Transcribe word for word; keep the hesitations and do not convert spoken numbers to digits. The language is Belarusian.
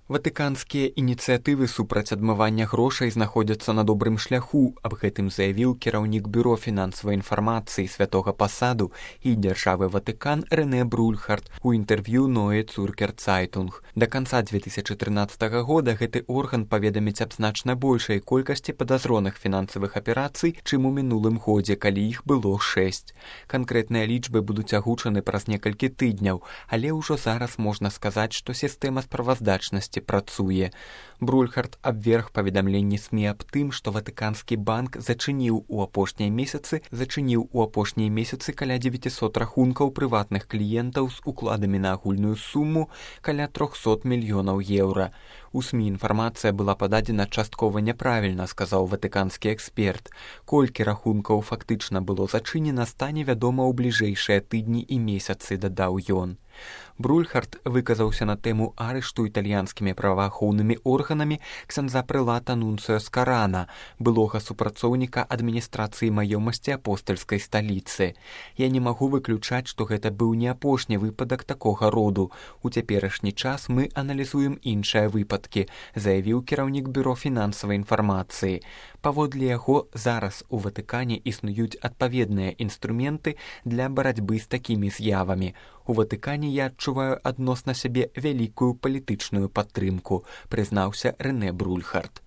Ватыканскія ініцыятывы супраць адмывання грошай знаходзяцца на добрым шляху, аб гэтым заявіў кіраўнік бюро фінансавай інфармацыі святога пасаду і дзяржавы Ватыкан Рэнэ Брульхард у інтэрв'ю Neue Zürcher Zeitung. Да канца две тысячы трынаццатага года гэты орган паведаміць аб значна большай колькасці падазроных фінансавых аперацый, чым у мінулым годзе, калі іх было шэсць. Канкрэтныя лічбы будуць агучаны праз некалькі тыдняў, але ўжо зараз можна сказаць, што сістэма справаздачнасці працуе. Брульхард абверг паведамленні СМІ аб тым, што Ватыканскі банк зачыніў у апошнія месяцы зачыніў у апошнія месяцы каля дзевяцісот рахункаў прыватных кліентаў з укладамі на агульную суму каля трохсот мільёнаў еўра. У СМІ інфармацыя была пададзена часткова няправільна, сказаў ватыканскі эксперт. Колькі рахункаў фактычна было зачынена, стане вядома ў бліжэйшыя тыдні і месяцы, дадаў ён. Брульхард выказаўся на тэму арышту італьянскімі праваахоўнымі органамі ксяндза прэлата Нунцыё Скарана, былога супрацоўніка адміністрацыі маёмасці апостальскай сталіцы. Я не магу выключаць, што гэта быў не апошні выпадак такога роду. У цяперашні час мы аналізуем іншыя выпадкі, заявіў кіраўнік бюро фінансавай інфармацыі. Паводле яго, зараз у Ватыкане існуюць адпаведныя інструменты для барацьбы з такімі з'явамі. У Ватыкане я адчуваю адносна сябе вялікую палітычную падтрымку, прызнаўся Рэнэ Брульхард.